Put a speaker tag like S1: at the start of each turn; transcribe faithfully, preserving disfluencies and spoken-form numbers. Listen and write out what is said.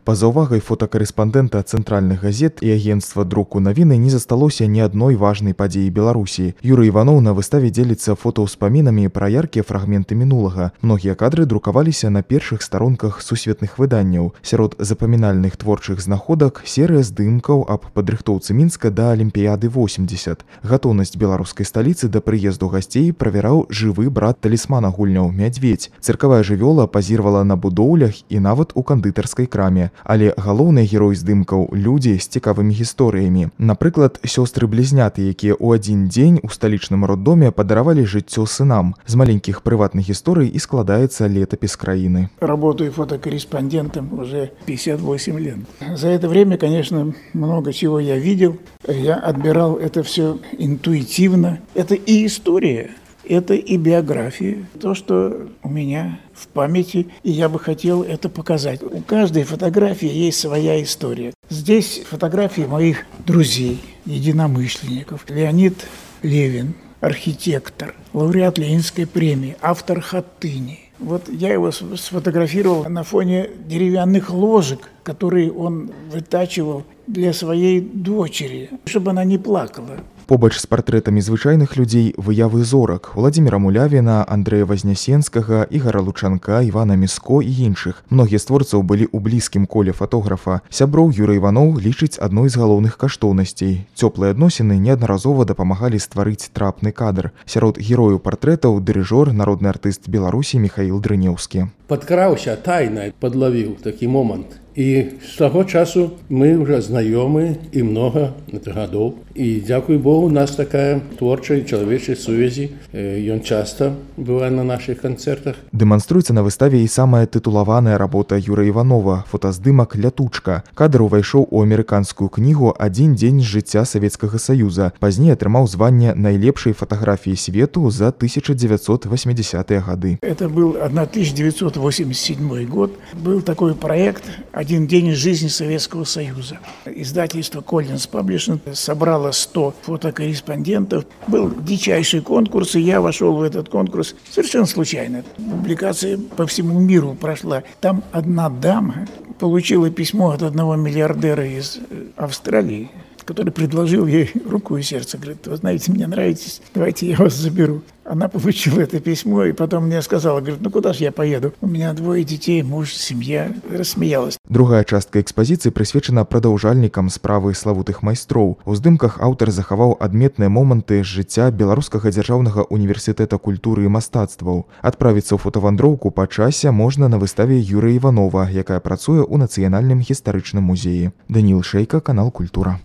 S1: Па заўвагай фотакарэспандэнта цэнтральных газет і агенцтва друку навіны не засталося ні адной важнай падзеі Беларусі. Юрый Іваноў на выставе дзеліцца фотаўспамінамі пра яркія фрагменты мінулага. Многія кадры друкаваліся на першых старонках сусветных выданняў. Сярод запамінальных творчых знаходак серыя здымкаў аб падрыхтоўцы Мінска да Алімпіяды восемьдесят. Гатоўнасць беларускай сталіцы да прыезду гасцей правяраў жывы брат талісмана гульняў Мядзведзь. Цыркавая жывёла пазіравала на будоўлях і нават у кандытарскай краме. Але галоўны герой здымкаў – людзі з цікавымі гісторыямі. Напрыклад, сёстры-блізняты, якія ў адзін дзень у сталічным роддоме падаравалі жыццё сынам. З маленькіх прыватных гісторый і складаецца летапіс краіны.
S2: Работаю фотокорреспондентом уже пятьдесят восемь лет. За это время, конечно, много чего я видел. Я отбирал это все интуитивно. Это и история. Это и биография, то, что у меня в памяти, и я бы хотел это показать. У каждой фотографии есть своя история. Здесь фотографии моих друзей, единомышленников. Леонид Левин, архитектор, лауреат Ленинской премии, автор «Хатыни». Вот я его сфотографировал на фоне деревянных ложек, которые он вытачивал для своей дочери, чтобы она не плакала.
S1: Побач з партрэтамі звычайных людзей выявы зорак Владзіміра Мулявіна, Андрэя Вазнясенскага, Ігара Лучанка, Івана Міско і іншых. Многія з творцаў былі ў блізкім коле фотографа. Сяброў Юрый Іваноў лічыць адной з галоўных каштоўнасцей. Цёплыя адносіны неаднаразова дапамагалі стварыць трапны кадр. Сярод герояў партрэтаў дырыжор, народны артыст Беларусі Міхаіл Дрынеўскі.
S3: Падкраўся тайна, падлавіў такі момант. І з таго часу мы ўжо знаёмы і многа гадоў. І, дзякуй Богу, у нас такая творчая і чалавечая сувязі. Ён часта бывае на нашых канцэртах.
S1: Дэманструецца на выставе і самая тытулаваная работа Юрыя Іванова – фотаздымак «Лятучка». Кадр увайшоў у амерыканскую кнігу «Адзін дзень з жыцця Савецкага Саюза». Пазней атрымаў званне найлепшай фатаграфіі свету за тысяча девятьсот восьмидесятые гады.
S2: Это был тысяча девятьсот восемьдесят седьмой год. Был такой проект «Один день из жизни Советского Союза». Издательство «Коллинз Паблишинг» собрало сто фотокорреспондентов. Был дичайший конкурс, и я вошел в этот конкурс совершенно случайно. Публикация по всему миру прошла. Там одна дама получила письмо от одного миллиардера из Австралии, который предложил ей руку и сердце. Говорит: вы знаете, мне нравитесь, давайте я вас заберу. Она получила это письмо и потом мне сказала, говорит: ну куда же я поеду? У меня двое детей, муж, семья. Рассмеялась.
S1: Другая частка экспазіцыі прысвечана прадаўжальнікам справы славутых майстроў. У здымках аўтар захаваў адметныя моманты з жыцця Беларускага дзяржаўнага універсітэта культуры і мастацтваў. Адправіцца ў фотавандроўку па часе можна на выставе Юрыя Іванова, якая працуе ў Нацыянальным гістарычным музеі. Даніл Шэйка, канал Культура.